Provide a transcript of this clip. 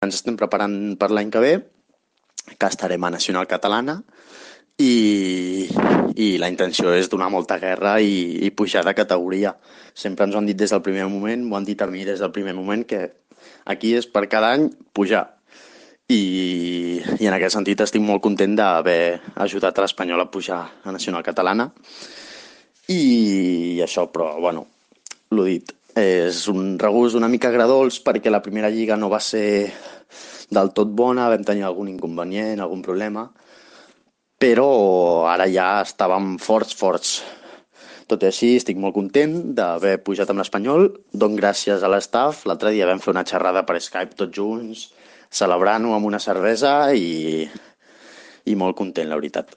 Ens estem preparant per l'any que ve, que estarem a Nacional Catalana, i la intenció és donar molta guerra i pujar de categoria. Sempre ens ho han dit des del primer moment, m'ho han dit a mi des del primer moment, que aquí és per cada any pujar. I en aquest sentit estic molt content d'haver ajudat a l'Espanyol a pujar a Nacional Catalana. I això, però, bueno, l'ho dit, és un regust una mica agredolç perquè la primera lliga no va ser del tot bona, vam tenir algun inconvenient, algun problema, però ara ja estàvem forts. Tot i així, estic molt content d'haver pujat amb l'Espanyol. Dono gràcies a l'estaf. L'altre dia vam fer una xerrada per Skype tots junts, celebrant-ho amb una cervesa i molt content, la veritat.